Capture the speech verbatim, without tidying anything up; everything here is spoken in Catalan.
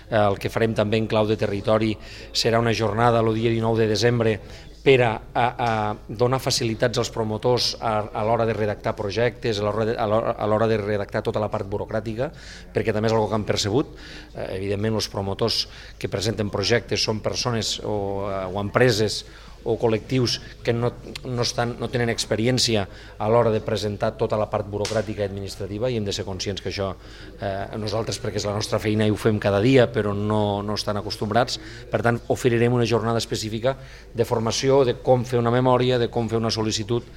El que farem també en clau de territori serà una jornada el dia dinou de desembre per a, a, a donar facilitats als promotors a, a l'hora de redactar projectes, a l'hora de redactar tota la part burocràtica, perquè també és una cosa que han percebut. Eh, evidentment, els promotors que presenten projectes són persones o, o empreses o col·lectius que no, no, estan, no tenen experiència a l'hora de presentar tota la part burocràtica i administrativa, i hem de ser conscients que això eh, nosaltres, perquè és la nostra feina i ho fem cada dia, però no, no estan acostumbrats. Per tant, oferirem una jornada específica de formació, de com fer una memòria, de com fer una sol·licitud